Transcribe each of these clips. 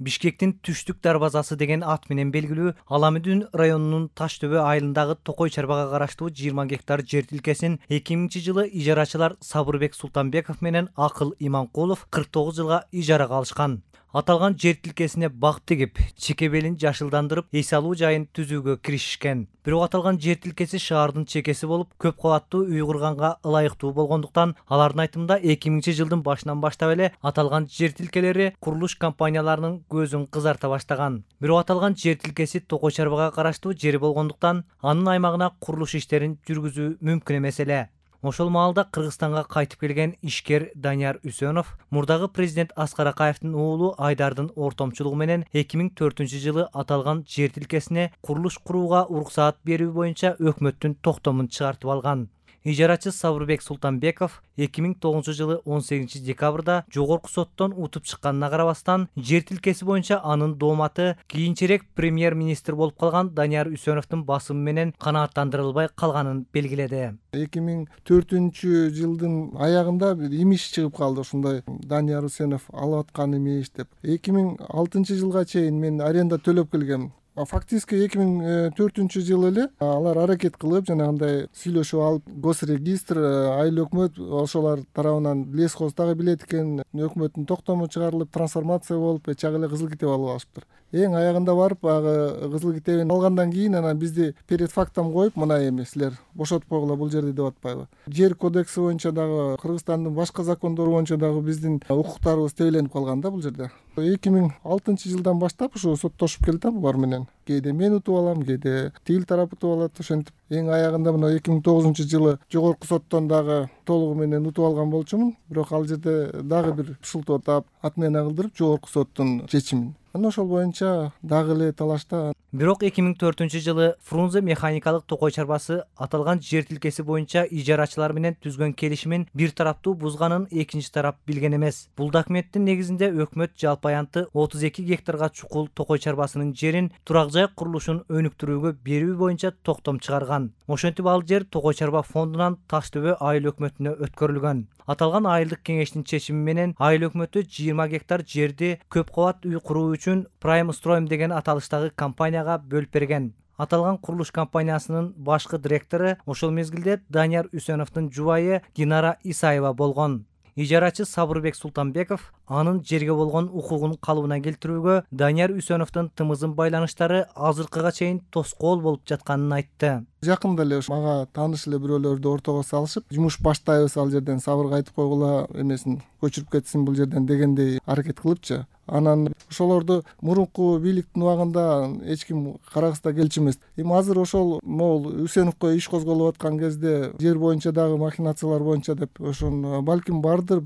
Бишкектин түштүк дарбазасы деген ат менен белгилүү Аламүдүн районунун Таш төбө айылындагы Токой чарбага караштуу 20 гектар жер тилкесин 2000-жылы ижарачылар Сабырбек Султанбеков менен Акыл Иманкулов 49 жылга ижарага алышкан. Аталган жер тилкесине бак тигип, чекебелин жашылдандырып, эс алуу жайын түзүүгө киришишкен. Бирок аталган жер тилкеси шаардын чекеси болуп, көп кабаттуу үй курганга ылайыктуу болгондуктан, алардын айтымында 2000-жылдын башынан баштап эле аталган жер тилкелери курулуш компанияларынын көзүн кызарта баштаган. Бирок аталган жер тилкеси Токой чарбага караштуу жер болгондуктан, анын аймагына курулуш иштерин жүргүзүү мүмкүн эмес эле. Ошол маалда Кыргызстанга кайтып келген ишкер Данияр Үсөнов мурдагы президент Аскар Акаевдин уулу Айдардын ортомчулугу менен 2004-жылы аталган жер тилкесине курулуш курууга уруксаат берүү боюнча өкмөттүн токтомун чыгартып алган. Ижарачы Сабырбек Султанбеков 2009-жылы 18 декабрда жогорку соттон утуп чыкканына карабастан, жер тилкеси боюнча анын дооматы кийинчерээк премьер-министр болуп калган Данияр Үсөновдун басымы менен канааттандырылбай калганын белгиледи. 2004-жылдын аягында бир имиш чыгып калды, ушундай Данияр Үсөнов алып аткан имиш деп. 2006-жылга чейин мен аренда төлөп келгем. Фактически 2004-жылы эле алар аракет кылып, жанагындай сүйлөшүп алып, госрегистр, айыл өкмөт ошолор тарабынан лесхоз дагы билет экен, өкмөттүн токтому чыгарылып, трансформация болуп, чак эле кызыл китеп алып алышыптыр. Эң аягында барып, кызыл китебин алгандан кийин анан бизди перед фактом коюп, мына эми силер бошотпогула бул жерди деп атпайбы. Жер кодекси боюнча дагы, Кыргызстандын башка закондору боюнча дагы биздин укуктарыбыз тебеленип калган да бул жерде. 2006-жылдан баштап ушу соттошуп келатам булар менен. Кээде мен утуп алам, кээде тил тарап утуп алат. Ошентип эң аягында мына 2009-жылы жогорку соттон дагы толугу менен утуп алган болчумун. Бирок ал жерде дагы бир шылтоо таап, отмена кылдырып жогорку соттун чечимин. Анан ошол боюнча дагы эле талашта. Бирок 2004-жылы Фрунзе механикалык Токой чарбасы аталган жер тилкеси боюнча ижарачылар менен түзгөн келишимин бир тараптуу бузганын экинчи тарап билген эмес. Бул документтин негизинде өкмөт жалпы аянты 32 гектарга чукул Токой чарбасынын жерин турак жай курулушун өнүктүрүүгө берүү боюнча токтом чыгарган. Ошентип ал жер Токой чарба фондунан Таш төбө айыл өкмөтүнө өткөрүлгөн. Аталган айылдык кеңештин чечими менен айыл өкмөтү 20 гектар жерди көп кабат үй куруу үчүн Prime Stroim деген аталыштагы компанияга бөлүп берген. Аталган курулуш компаниясынын башкы директору ошол мезгилде Данияр Үсөновдун жубайы Динара Исаева болгон. Ижарачы Сабырбек Султанбеков анын жерге болгон укугун калыбына келтирүүгө Данияр Үсөновдун тымызын байланыштары азыркыга чейин тоскоол болуп жатканын айтты. Жакында эле мага тааныш эле бирөөлөрдү ортого салышып, жумуш баштайбыз ал жерден, сабырга айтып койгула, эмесин көчүрүп кетсин бул жерден дегендей аракет кылыпчы. Анан ошолорду мурунку бийликтин убагында эч ким карагыста келчү эмес. Эми азыр ошол могул Үсөновго иш козголуп аткан кезде жер боюнча дагы махинациялар боюнча деп ошон балким бардыр,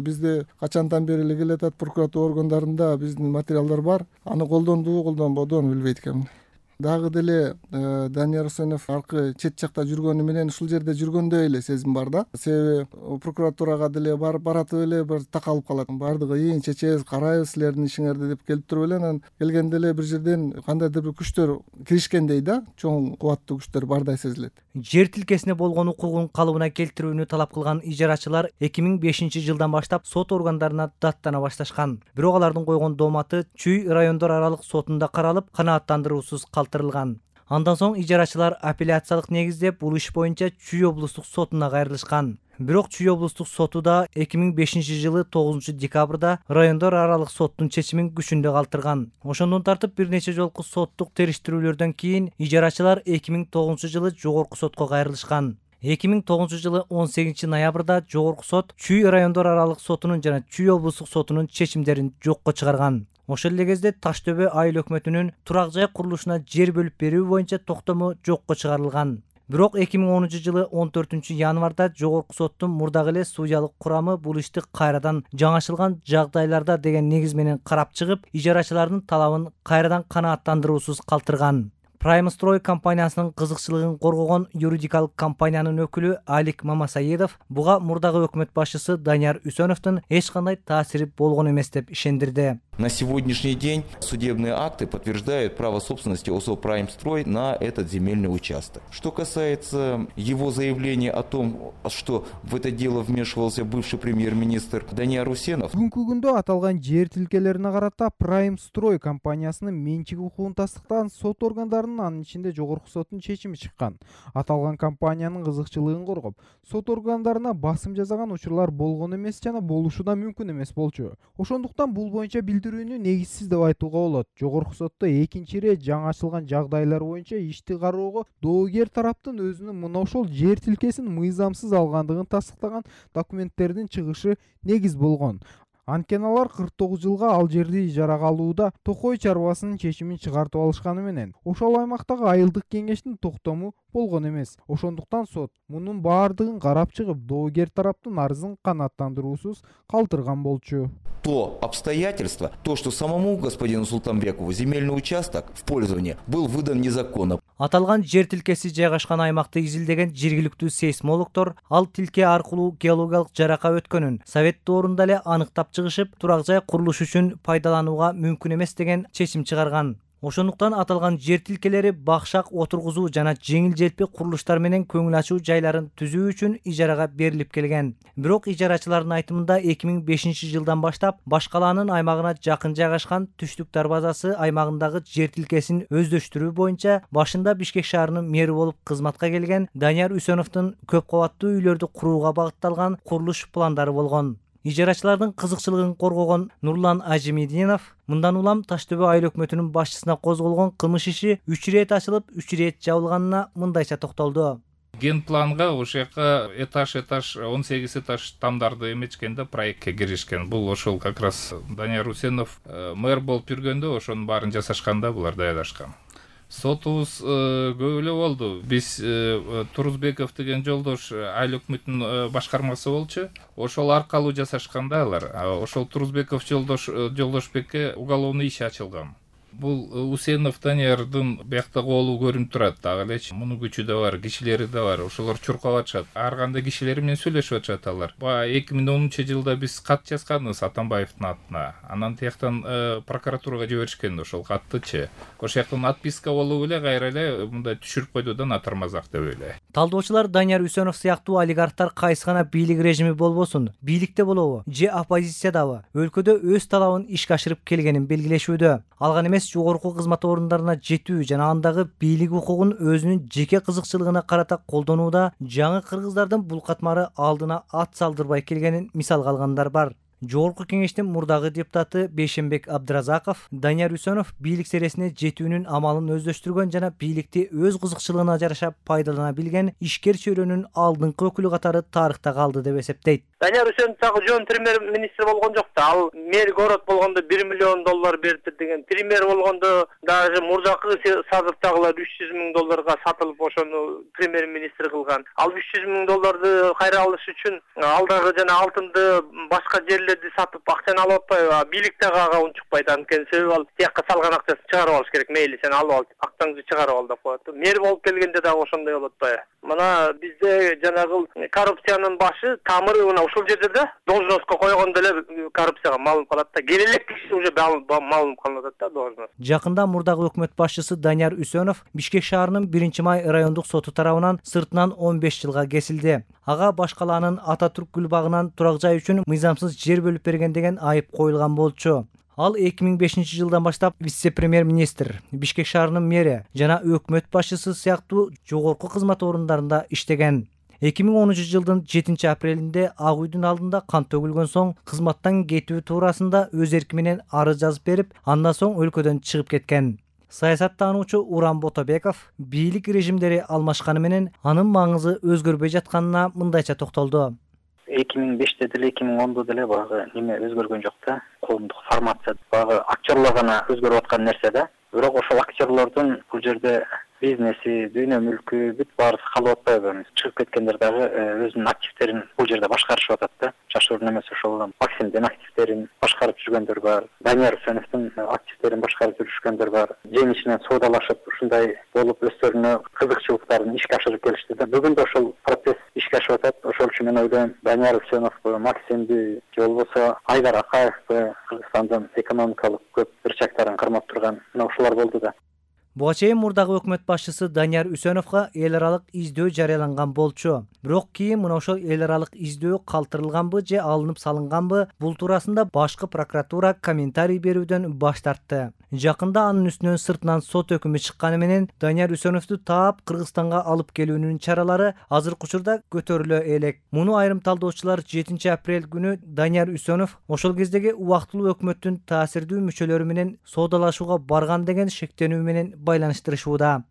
бизде качандан бери эле келатат, прокуратура органдарында биздин материалдар бар. Аны колдондубу, колдонбодубу аны билбейт экенмин. Дагы деле Данияр Үсөнов аркы чет жакта жүргөнү менен ушул жерде жүргөндөй эле сезим бар да. Себеби прокуратурага деле баратып эле бир такалып калат. Бардыгы ийин чечебиз, карайбыз силердин ишиңерди деп келип туруп эле, анан келгенде эле бир жерден кандайдыр бир күчтөр киришкендей да, чоң кубаттуу күчтөр бардай сезилет. Жер тилкесине болгон укугун калыбына келтирүүнү талап кылган ижарачылар 2005-жылдан баштап сот органдарына даттана башташкан. Бирок алардын койгон дооматы Чүй райондор аралык сотунда каралып, канааттандыруусуз калтырылган. Андан соң ижарачылар апелляциялык негизде бул иш боюнча Чүй облустук сотуна кайрылышкан. Бирок Чүй облустук соту да 2005-жылы 9 декабрда райондор аралык соттун чечимин күчүндө калтырган. Ошондон тартып бир нече жолку соттук териштирүүлөрдөн кийин ижарачылар 2009-жылы жогорку сотко кайрылышкан. 2009-жылы 18 ноябрда жогорку сот Чүй райондор аралык сотунун жана Чүй облустук сотунун чечимдерин жокко чыгарган. Ошол эле кезде Таш төбө айыл өкмөтүнүн турак жай курулушуна жер бөлүп берүү боюнча токтому жокко чыгарылган. Бирок 2010-жылы 14 январда жогорку соттун мурдагы эле судьялык курамы бул ишти кайрадан жаңашылган жагдайларда деген негиз менен карап чыгып, ижарачылардын талабын кайрадан канааттандыруусуз калтырган. Prime Stroy компаниясынын кызыкчылыгын коргогон юридикалык компаниянын өкүлү Алик Мамасаедов буга мурдагы өкмөт башчысы Данияр Үсөновдун эч кандай таасири болгон эмес деп ишендирди. На сегодняшний день судебные акты подтверждают право собственности ОСО «Праймстрой» на этот земельный участок. Что касается его заявления о том, что в это дело вмешивался бывший премьер-министр Данияр Усенов. Бүгүнкү күндө аталган жер тилкелерине карата «Праймстрой» компаниясынын менчик укугун тастыктаган сот органдарынын, анын ичинде Жогорку соттун чечими чыккан. Аталган компаниянын кызыкчылыгын коргоп, сот органдарына басым жасаган учурлар болгон эмес жана болушу да мүмкүн эмес болчу. Ошондуктан бул боюнча билдирүүнү негизсиз деп айтууга болот. Жогорку сотто экинчи ирет жаңы ачылган жагдайлар боюнча ишти кароого доогер тараптын өзүнүн мына ошол жер тилкесин мыйзамсыз алгандыгын тастыктаган документтердин чыгышы негиз болгон. Анткени алар 49 жылга ал жерди ижарага алууда Токой чарбасынын чечимин чыгартып алышканы менен ошол аймактагы айылдык кеңештин токтому болгон эмес. Ошондуктан сот мунун баардыгын карап чыгып, доогер тараптын арызын канааттандыруусуз калтырган болчу. То обстоятельство, то, что самому господину Султанбекову земельный участок в пользование был выдан незаконно. Аталган жер тилкеси жайгашкан аймакты изилдеген жергиликтүү сейсмологдор ал тилке аркылуу геологиялык жарака өткөнүн Совет доорунда эле аныктап чыгышып, турак жай курулуш үчүн пайдаланууга мүмкүн эмес деген чечим чыгарган. Ошондуктан аталган жер тилкелери бакшак отургузуу жана жеңил желпи курулуштар менен көңүл ачуу жайларын түзүү үчүн ижарага берилип келген. Бирок ижарачылардын айтымында 2005 жылдан баштап баш калаанын аймагына жакын жайгашкан Түштүк дарбазасы аймагындагы жер тилкесин өздөштүрүү боюнча башында Бишкек шаарынын мэри болуп кызматка келген Данияр Үсеновдун көп кабаттуу үйлөрдү курууга багытталган курулуш пландары болгон. Ижарачылардын кызыкчылыгын коргогон Нурлан Ажимединов мындан улам Таштөбө айыл өкмөтүнүн башчысына козголгон кылмыш иши 3 ирет ачылып, 3 ирет жабылганына мындайча токтолду. Ген планга ошол жака этаж 18 этаж тамдарды эметкенде проектке киришкен. Бул ошол как раз Данияр Усенов мэр болуп жүргөндө ошонун баарын жасашканда булар даярдашкан. Сотубуз көп эле болду. Биз Турузбеков деген жолдош айыл өкмөтүнүн башкармасы болчу. Ошол аркылуу жасашканда алар. Ошол Турузбеков жолдошбекке уголовный иш ачылган. Бул Усенов Даниярдын биякта колу көрүнүп турат. Дагы элечи мунун күчү да бар, кишилери да бар. Ошолор чуркап атышат. Ар кандай кишилер менен сүйлөшүп атышат алар. 2010-жылда биз кат жазганбыз Атамбаевдин атына. Анан тияктан прокуратурага жиберишкен ошол каттычы. Ошол жактан отписка болуп эле кайра эле мындай түшүрүп койду да натармазак деп эле. Талдоочулар Данияр Үсенов сыяктуу олигархтар кайсы гана бийлик режими болбосун, бийликте болобу же оппозициядабы өлкөдө өз талабын ишке ашырып келгенин белгилешүүдө. Алган эмес жогорку кызмат орундарына жетүү жана андагы бийлик укугун өзүнүн жеке кызыкчылыгына карата колдонууда жаңы кыргыздардын бул катмары алдына ат салдырбай келгенин мисалга алгандар бар. Жогорку кеңештин мурдагы депутаты Бейшенбек Абдыразаков Данияр Үсенов бийлик сересине жетүүнүн амалын өздөштүргөн жана бийликти өз кызыкчылыгына жараша пайдалана билген ишкер чөйрөнүн алдыңкы өкүлү катары тарыхта калды деп эсептейт. Данияр Үсенов дагы жөн премьер-министр болгон жок да. Ал мэр город болгондо $1 миллион берди деген. Премьер болгондо даже мурдакы сазырдагылар $300 миң сатылып ошону премьер-министр кылган. Ал $300 миң кайра алыш үчүн алдагы жана алтынды башка жерлерди сатып акчаны алып атпайбы? Бийликтеги ага унчукпайт. Анткени себеби ал тиякка салган акчасын чыгарып алыш керек. Мейли сен алып ал, актаңды чыгарып ал деп коет. Мэр болуп келгенде дагы ошондой болот атпайбы? Мына бизде жанагы коррупциянын башы тамыры мына ушул жерде да должностко койгондо эле коррупцияга малым калат да. Келелек киши уже малым калып атат да должност. Жакында мурдагы өкмөт башчысы Данияр Үсенов Бишкек шаарынын 1-май райондук соту тарабынан сыртынан 15 жылга кесилди. Ага баш калаанын Ататүрк гүлбагынан турак жай үчүн мыйзамсыз жер бөлүп берген деген айып коюлган болчу. Ал 2005 жылдан баштап вице-премьер-министр, Бишкек шаарынын мэри жана өкмөт башчысы сыяктуу жогорку кызмат орундарында иштеген. 2010 жылдын 7 апрелинде Ак үйдүн алдында кан төгүлгөн соң кызматтан кетүү туурасында өз эрки менен арыз жазып берип, андан соң өлкөдөн чыгып кеткен. Саясаттануучу Уран Ботобеков бийлик режимдери алмашканы менен анын маңызы өзгөрбөй жатканына мындайча токтолду. 2005-те деле 2010-да деле багы неме өзгөргөн жок да. Коомдук формация багы актерлор гана өзгөрүп аткан нерсе да. Бирок ошол актерлордун бул жерде бизнеси, дүйнө мүлкү бүт баарысы калып атпайбы? Чыгып кеткендер дагы өзүнүн активдерин бул жерде башкарышып атат да. Жашоордун эмес ошол Максимдин активдерин башкарып жүргөндөр бар. Данияр Үсеновдун активдерин башкарып жүргөндөр бар. Жең ичинен соодалашып, ушундай болуп өздөрүнө кызыкчылыктарын ишке ашырып келишти да. Бүгүн да ошол процесс ишке ашып атат. Ошол үчүн мен ойлойм, Данияр Үсеновду, Максимди, же болбосо Айдар Акаевди, Кыргызстандын экономикалык көп бурчактарын кармап турган мына ушулар болду да. Буга чейин мурдагы өкмөт башчысы Данияр Үсеновго эл аралык издөө жарыяланган болчу. Бирок кийин мына ошол эл аралык издөө калтырылганбы же алынып салынганбы, бул туурасында башкы прокуратура комментарий берүүдөн баш тартты. Жакында анын үстүнөн сыртынан сот өкүмү чыкканы менен Данияр Үсеновду таап Кыргызстанга алып келүүнүн чаралары азыркы учурда көтөрүлө элек. Муну айрым талдоочулар 7 апрель күнү Данияр Үсенов ошол кездеги убактылуу өкмөттүн таасирдүү мүчөлөрү менен соодалашууга барган деген шектенүү менен байланыштырышууда.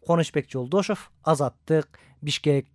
Конучбек Жолдошов, Азаттык, Бишкек.